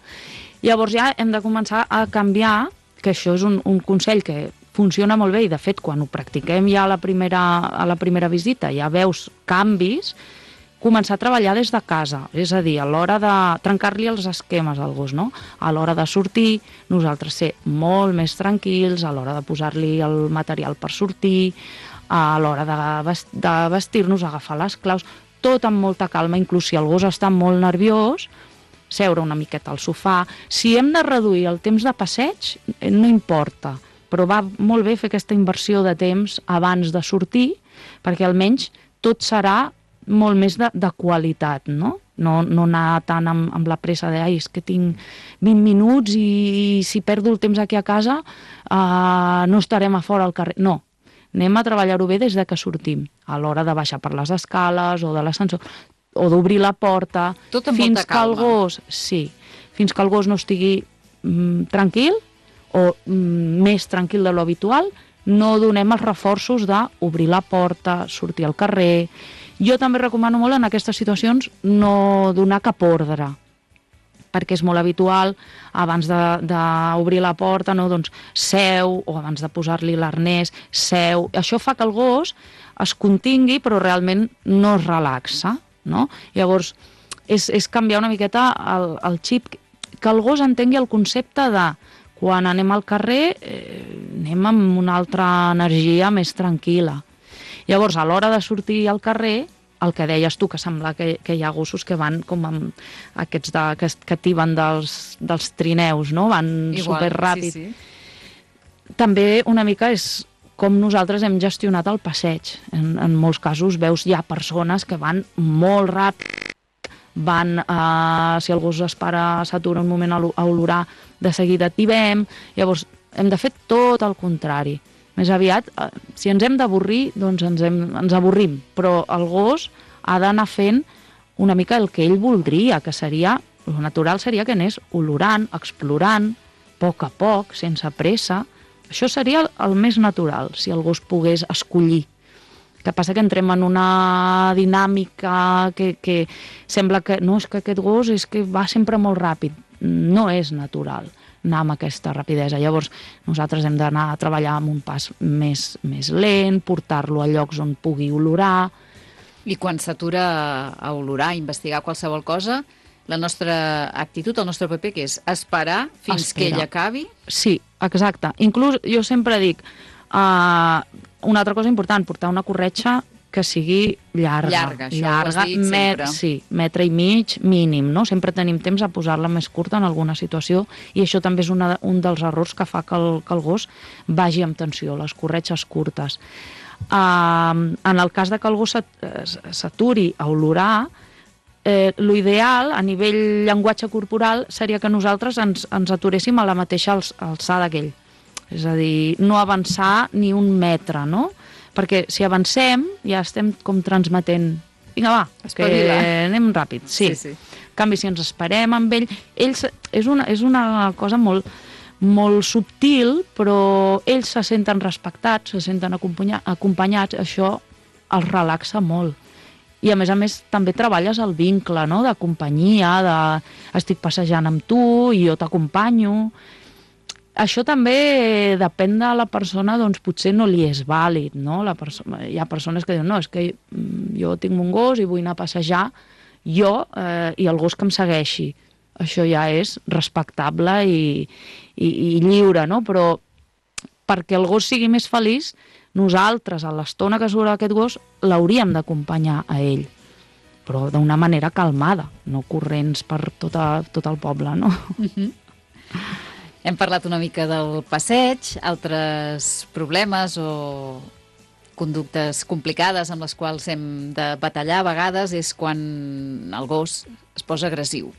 [SPEAKER 7] Llavors ja hem de començar a canviar, que això és un consell que funciona molt bé i de fet quan ho practiquem ja a la primera visita ja veus canvis, començar a treballar des de casa, és a dir, a l'hora de trencar-li els esquemes al gos, no? A l'hora de sortir, nosaltres ser molt més tranquils, a l'hora de posar-li el material per sortir, a l'hora de vestir-nos, agafar les claus, tot amb molta calma, inclús si el gos està molt nerviós, seure una miqueta al sofà. Si hem de reduir el temps de passeig, no importa, però va molt bé fer aquesta inversió de temps abans de sortir, perquè almenys tot serà molt més de qualitat, no? No anar tant amb la pressa de és que tinc 20 minuts i si perdo el temps aquí a casa no estarem a fora al carrer. No, anem a treballar-ho bé des de que sortim, a l'hora de baixar per les escales o de l'ascensor, o d'obrir la porta,
[SPEAKER 1] tot amb molta calma.
[SPEAKER 7] Fins que el gos no estigui tranquil o més tranquil de lo habitual, no donem els reforços d'obrir la porta, sortir al carrer. Jo també recomano molt en aquestes situacions no donar cap ordre, perquè és molt habitual abans d'obrir la porta, no? Doncs seu, o abans de posar-li l'arnès, seu. Això fa que el gos es contingui però realment no es relaxa, no? Llavors és canviar una miqueta el xip, que el gos entengui el concepte de quan anem al carrer anem amb una altra energia més tranquil·la. Llavors, a l'hora de sortir al carrer, el que deies tu, que sembla que hi ha gossos que van com amb aquests que tiben dels trineus, no? Van superràpid. Sí. També una mica és com nosaltres hem gestionat el passeig. En molts casos veus ja persones que van molt ràpid, si el gos es para, s'atura un moment a olorar, de seguida tibem. Llavors hem de fer tot el contrari. Més aviat, si ens hem d'avorrir, doncs ens avorrim, però el gos ha d'anar fent una mica el que ell voldria, que seria, el natural seria que anés olorant, explorant, a poc, sense pressa. Això seria el més natural, si el gos pogués escollir. El que passa que entrem en una dinàmica que sembla que no, és que aquest gos és que va sempre molt ràpid. No és natural anar amb aquesta rapidesa. Llavors, nosaltres hem d'anar a treballar amb un pas més lent, portar-lo a llocs on pugui olorar.
[SPEAKER 1] I quan s'atura a olorar, a investigar qualsevol cosa, la nostra actitud, el nostre paper, que és esperar fins que ell acabi?
[SPEAKER 7] Sí, exacte. Inclús jo sempre dic, una altra cosa important, portar una corretja que sigui llarga,
[SPEAKER 1] això ho has dit sempre.
[SPEAKER 7] Sí, metre i mig mínim, no? Sempre tenim temps a posar-la més curta en alguna situació i això també és un dels errors que fa que el gos vagi amb tensió, les corretges curtes. En el cas de que el gos s'aturi a olorar, l'ideal a nivell llenguatge corporal seria que nosaltres ens aturéssim a la mateixa alçada que ell. És a dir, no avançar ni un metre, no? Perquè si avancem ja estem com transmetent vinga va, que anem ràpid. Sí. En canvi, si ens esperem amb ell és una cosa molt subtil, però ells se senten respectats, se senten acompanyats, això els relaxa molt. I a més també treballes el vincle, no? De companyia, estic passejant amb tu i jo t'acompanyo. Això també depèn de la persona, doncs potser no li és vàlid, no? Hi ha persones que diuen, no, és que jo tinc un gos i vull anar a passejar jo i el gos que em segueixi. Això ja és respectable i lliure, no? Però perquè el gos sigui més feliç, nosaltres, a l'estona que surt aquest gos, l'hauríem d'acompanyar a ell, però d'una manera calmada, no corrents per tot el poble, no?
[SPEAKER 1] Hem parlat una mica del passeig, altres problemes o conductes complicades amb les quals hem de batallar a vegades és quan el gos es posa agressiu.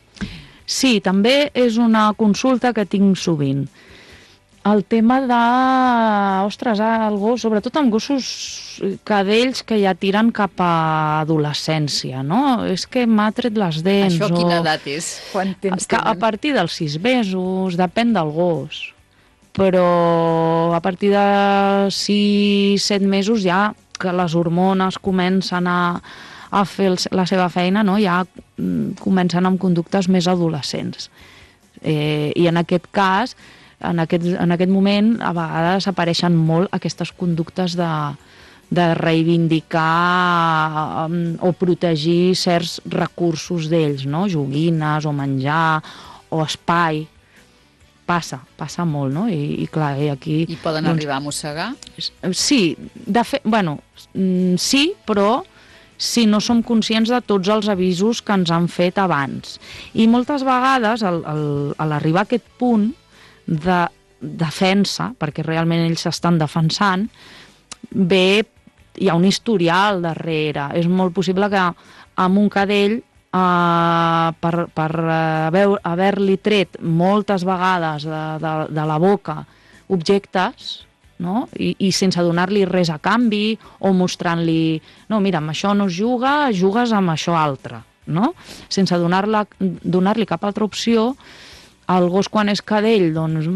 [SPEAKER 7] Sí, també és una consulta que tinc sovint. El tema de, el gos, sobretot amb gossos cadells que ja tiren cap a adolescència, no? És que m'ha tret les dents.
[SPEAKER 1] Això quina edat és? Quant temps tenen?
[SPEAKER 7] A partir dels 6 mesos, depèn del gos. Però a partir de 6-7 mesos ja que les hormones comencen a fer la seva feina, no? Ja comencen amb conductes més adolescents. I en aquest cas, en aquest moment, a vegades apareixen molt aquestes conductes de reivindicar o protegir certs recursos d'ells, no? Joguines o menjar o espai. Passa molt, no? I clar, aquí...
[SPEAKER 1] I poden arribar a mossegar?
[SPEAKER 7] Sí, sí, però si no som conscients de tots els avisos que ens han fet abans. I moltes vegades, a l'arribar a aquest punt de defensa, perquè realment ells s'estan defensant, hi ha un historial darrere. És molt possible que amb un cadell, per haver-li tret moltes vegades de la boca objectes, no? I sense donar-li res a canvi, o mostrant-li, no, mira, amb això no es juga, jugues amb això altre, no? Sense donar-li cap altra opció, el gos, quan és cadell, doncs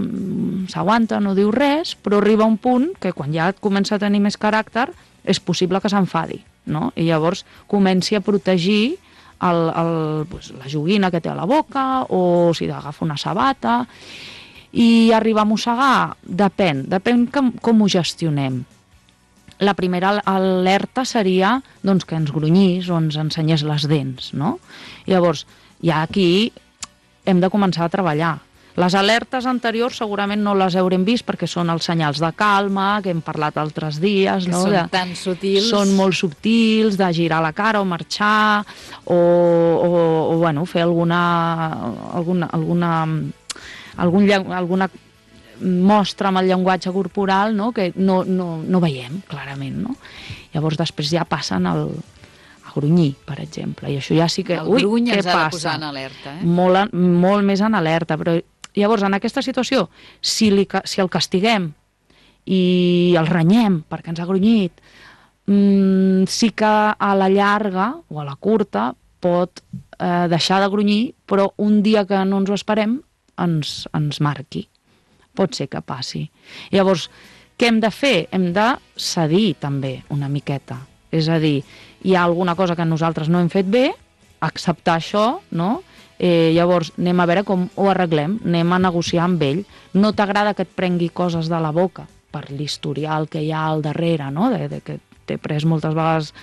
[SPEAKER 7] s'aguanta, no diu res, però arriba un punt que quan ja comença a tenir més caràcter és possible que s'enfadi, no? I llavors comenci a protegir la joguina que té a la boca, o si agafa una sabata. I arribar a mossegar depèn com ho gestionem. La primera alerta seria doncs, que ens grunyís o ens ensenyés les dents, no? Llavors, ja aquí hem de començar a treballar. Les alertes anteriors segurament no les haurem vist perquè són els senyals de calma, que hem parlat altres dies.
[SPEAKER 1] Que són tan sutils. Són
[SPEAKER 7] molt subtils, de girar la cara o marxar, o bueno, fer alguna mostra amb el llenguatge corporal, no? Que no veiem clarament, no? Llavors després ja passen a grunyir, per exemple, i això ja sí que...
[SPEAKER 1] El gruny ens ha de posar en alerta,
[SPEAKER 7] molt més en alerta, però llavors en aquesta situació, si el castiguem i el renyem perquè ens ha grunyit, sí que a la llarga o a la curta pot deixar de grunyir, però un dia que no ens ho esperem ens marqui. Pot ser que passi. Llavors, què hem de fer? Hem de cedir també una miqueta. És a dir, hi ha alguna cosa que nosaltres no hem fet bé, acceptar això, no? Llavors anem a veure com ho arreglem, anem a negociar amb ell. No t'agrada que et prengui coses de la boca per l'historial que hi ha al darrere, no? De que t'he pres moltes vegades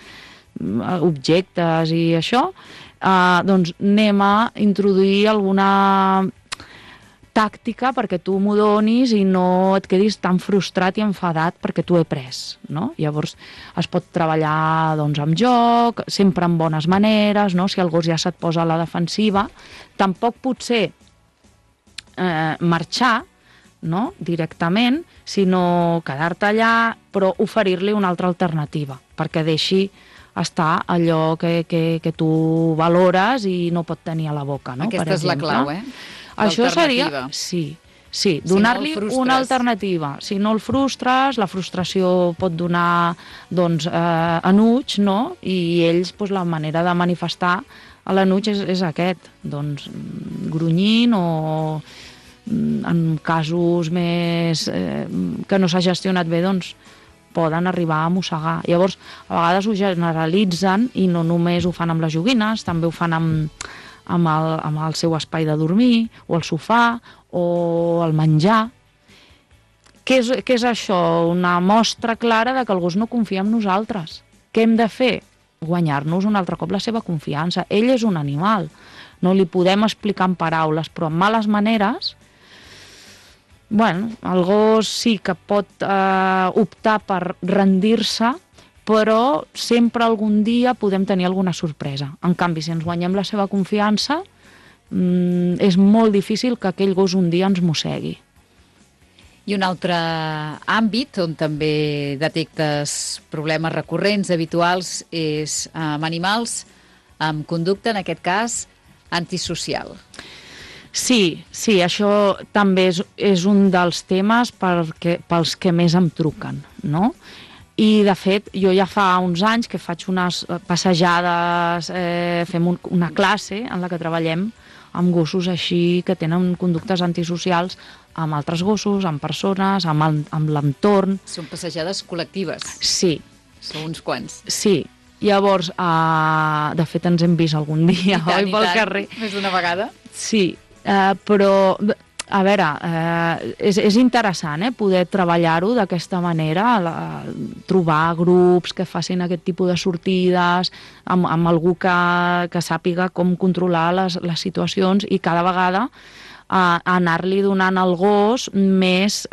[SPEAKER 7] objectes i això, doncs anem a introduir alguna tàctica perquè tu m'ho donis i no et quedis tan frustrat i enfadat perquè t'ho he pres, no? Llavors es pot treballar doncs, amb joc, sempre amb bones maneres, no? Si el gos ja se't posa a la defensiva, tampoc potser marxar, no? Directament, sinó quedar-te allà, però oferir-li una altra alternativa, perquè deixi estar allò que tu valores i no pot tenir a la boca, no?
[SPEAKER 1] Aquesta és la clau,
[SPEAKER 7] Això seria, sí, donar-li una alternativa. Si no el frustres, la frustració pot donar doncs, enuig, no? I ells, doncs, la manera de manifestar l'enuig és aquest, doncs, grunyint o en casos més que no s'ha gestionat bé, doncs, poden arribar a mossegar. Llavors, a vegades ho generalitzen i no només ho fan amb les joguines, també ho fan amb el seu espai de dormir, o el sofà, o el menjar. Què és això? Una mostra clara de que el gos no confia en nosaltres. Què hem de fer? Guanyar-nos un altre cop la seva confiança. Ell és un animal. No li podem explicar en paraules, però amb males maneres, bueno, el gos sí que pot optar per rendir-se, però sempre algun dia podem tenir alguna sorpresa. En canvi, si ens guanyem la seva confiança, és molt difícil que aquell gos un dia ens mossegui.
[SPEAKER 1] I un altre àmbit on també detectes problemes recurrents, habituals, és amb animals amb conducta, en aquest cas, antisocial.
[SPEAKER 7] Sí, això també és un dels temes pels que més em truquen, no? I, de fet, jo ja fa uns anys que faig unes passejades, fem una classe en la que treballem amb gossos així que tenen conductes antisocials amb altres gossos, amb persones, amb l'entorn.
[SPEAKER 1] Són passejades col·lectives.
[SPEAKER 7] Sí.
[SPEAKER 1] Són uns quants.
[SPEAKER 7] Sí. Llavors, de fet, ens hem vist algun dia, oi, pel carrer.
[SPEAKER 1] Més d'una vegada.
[SPEAKER 7] Sí. Però, a veure, és interessant poder treballar-ho d'aquesta manera, trobar grups que facin aquest tipus de sortides, amb algú que sàpiga com controlar les situacions i cada vegada anar-li donant al gos més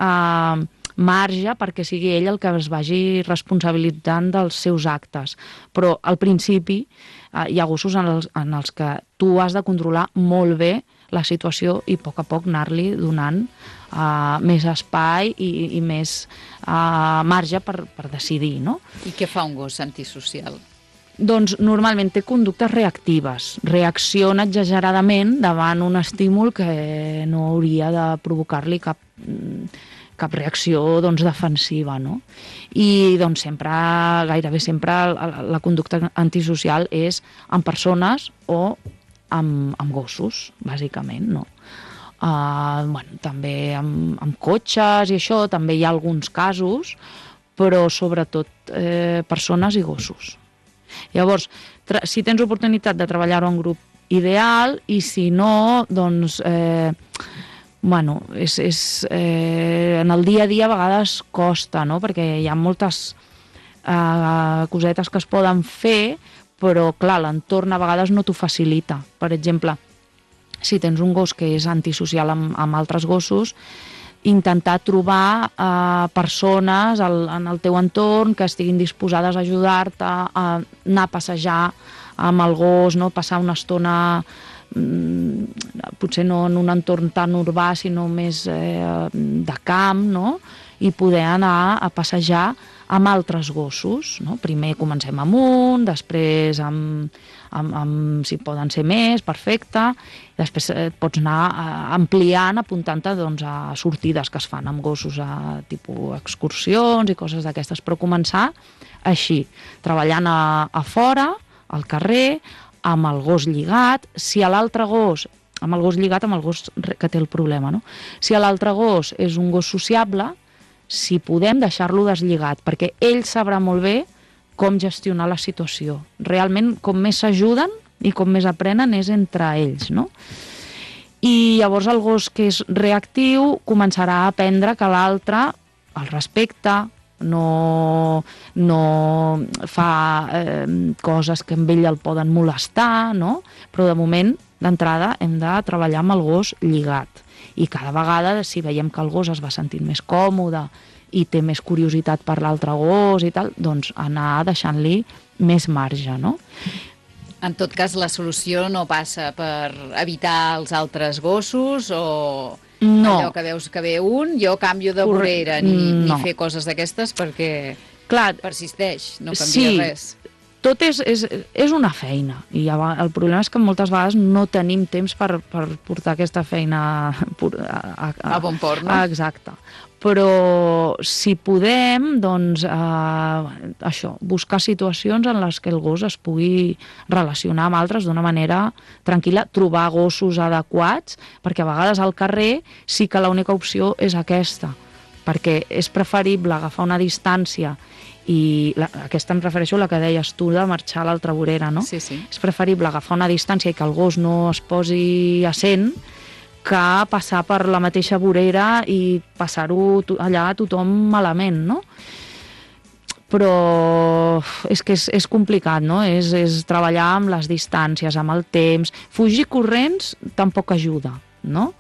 [SPEAKER 7] marge perquè sigui ell el que es vagi responsabilitzant dels seus actes. Però al principi hi ha gossos en els que tu has de controlar molt bé la situació i a poc anar-li donant més espai i més marge per decidir, no?
[SPEAKER 1] I què fa un gos antisocial?
[SPEAKER 7] Doncs normalment té conductes reactives, reacciona exageradament davant un estímul que no hauria de provocar-li cap reacció defensiva, no? I gairebé sempre la conducta antisocial és amb persones o amb gossos, bàsicament, no? També amb cotxes i això, també hi ha alguns casos, però sobretot persones i gossos. Llavors, si tens oportunitat de treballar-ho en grup, ideal, i si no, doncs, en el dia a dia a vegades costa, no? Perquè hi ha moltes cosetes que es poden fer, però, clar, l'entorn a vegades no t'ho facilita. Per exemple, si tens un gos que és antisocial amb altres gossos, intentar trobar persones en el teu entorn que estiguin disposades a ajudar-te, a anar a passejar amb el gos, no? Passar una estona, potser no en un entorn tan urbà, sinó més de camp, no? I poder anar a passejar amb altres gossos, no? Primer comencem amb un, després si poden ser més, perfecte, després pots anar ampliant, apuntant-te a sortides que es fan amb gossos a tipus excursions i coses d'aquestes, però començar així, treballant a fora, al carrer, amb el gos lligat, si a l'altre gos, amb el gos lligat, amb el gos que té el problema, no? Si l'altre gos és un gos sociable, si podem deixar-lo deslligat, perquè ell sabrà molt bé com gestionar la situació. Realment, com més s'ajuden i com més aprenen és entre ells, no? I llavors el gos que és reactiu començarà a aprendre que l'altre el respecta, no fa coses que amb ell el poden molestar, no? Però de moment, d'entrada, hem de treballar amb el gos lligat. I cada vegada, si veiem que el gos es va sentint més còmode i té més curiositat per l'altre gos i tal, doncs anar deixant-li més marge, no?
[SPEAKER 1] En tot cas, la solució no passa per evitar els altres gossos o
[SPEAKER 7] no.
[SPEAKER 1] Allò que veus que ve un, jo canvio de vorera, ni fer coses d'aquestes perquè persisteix, no canvia res.
[SPEAKER 7] Tot és una feina i el problema és que moltes vegades no tenim temps per portar aquesta feina
[SPEAKER 1] a bon port, no?
[SPEAKER 7] Exacte. Però si podem, doncs, això, buscar situacions en les que el gos es pugui relacionar amb altres d'una manera tranquil·la, trobar gossos adequats, perquè a vegades al carrer sí que l'única opció és aquesta, perquè és preferible agafar una distància i aquesta em refereixo a la que deies tu de marxar a l'altra vorera, no?
[SPEAKER 1] Sí.
[SPEAKER 7] És preferible agafar una distància i que el gos no es posi a 100 que passar per la mateixa vorera i passar-ho allà a tothom malament, no? Però és que és complicat, no? És treballar amb les distàncies, amb el temps. Fugir corrents tampoc ajuda, no?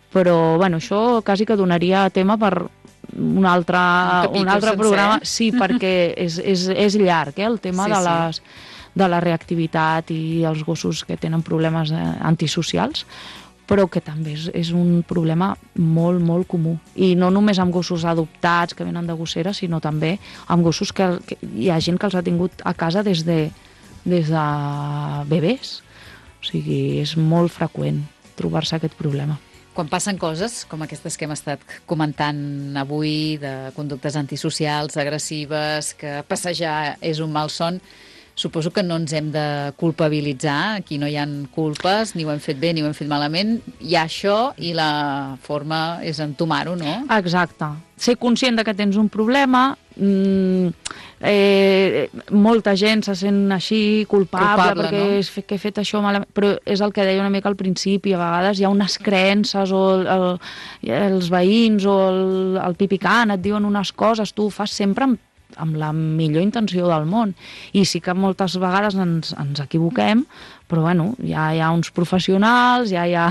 [SPEAKER 7] Però, bueno, això quasi que donaria tema per un altre programa, sí, perquè és llarg, el tema de la reactivitat i els gossos que tenen problemes antisocials, però que també és un problema molt, molt comú. I no només amb gossos adoptats que venen de gossera, sinó també amb gossos que hi ha gent que els ha tingut a casa des de bebès. O sigui, és molt freqüent trobar-se aquest problema.
[SPEAKER 1] Quan passen coses com aquestes que hem estat comentant avui, de conductes antisocials, agressives, que passejar és un malson, suposo que no ens hem de culpabilitzar, aquí no hi ha culpes, ni ho hem fet bé ni ho hem fet malament, hi ha això i la forma és entomar-ho, no?
[SPEAKER 7] Exacte. Ser conscient de que tens un problema, molta gent se sent així culpable perquè
[SPEAKER 1] no?
[SPEAKER 7] que he fet això malament, però és el que deia una mica al principi, a vegades hi ha unes creences o els veïns o el pipicant et diuen unes coses, tu ho fas sempre amb la millor intenció del món, i sí que moltes vegades ens equivoquem, però bueno, ja hi ha uns professionals, ja hi ha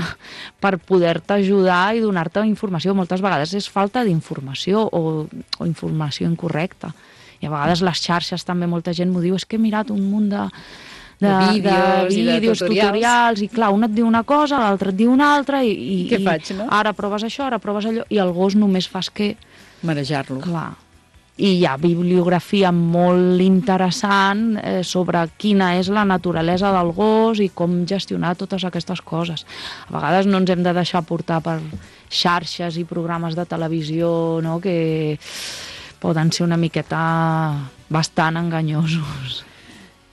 [SPEAKER 7] per poder-te ajudar i donar-te informació. Moltes vegades és falta d'informació o informació incorrecta. I a vegades les xarxes també molta gent m'ho diu, és que he mirat un munt de vídeos, tutorials, i clar, un et diu una cosa, l'altre et diu una altra, i
[SPEAKER 1] què faig, no?
[SPEAKER 7] Ara proves això, ara proves allò, i el gos només fas que
[SPEAKER 1] marejar-lo.
[SPEAKER 7] Clar. I hi ha bibliografia molt interessant sobre quina és la naturalesa del gos i com gestionar totes aquestes coses. A vegades no ens hem de deixar portar per xarxes i programes de televisió, no?, que poden ser una miqueta bastant enganyosos.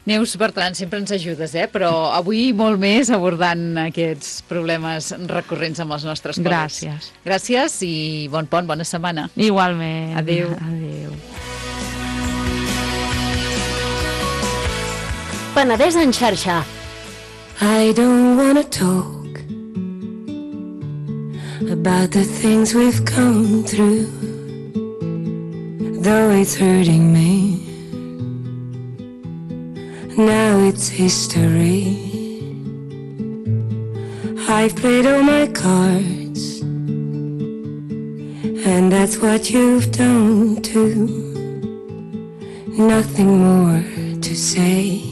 [SPEAKER 1] Neus Bertran, sempre ens ajudes, però avui molt més abordant aquests problemes recurrents amb els nostres col·legs.
[SPEAKER 7] Gràcies.
[SPEAKER 1] Gràcies i bon pont, bona setmana.
[SPEAKER 7] Igualment.
[SPEAKER 1] Adéu.
[SPEAKER 7] Adéu.
[SPEAKER 5] Penedès en xarxa.
[SPEAKER 8] I don't wanna talk about the things we've come through, though it's hurting me. Now it's history. I've played all my cards, and that's what you've done too. Nothing more to say,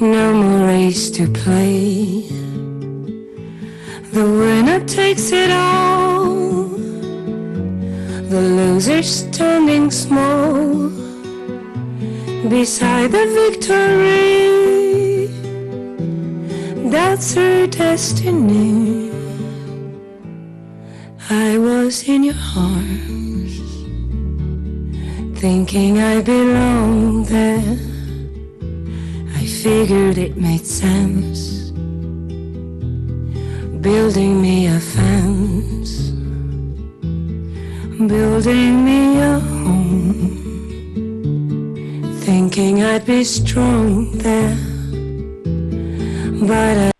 [SPEAKER 8] no more race to play. The winner takes it all, the loser standing small beside the victory. That's her destiny. I was in your arms, thinking I belonged there. I figured it made sense, building me a fence, building me a home, thinking I'd be strong there, but I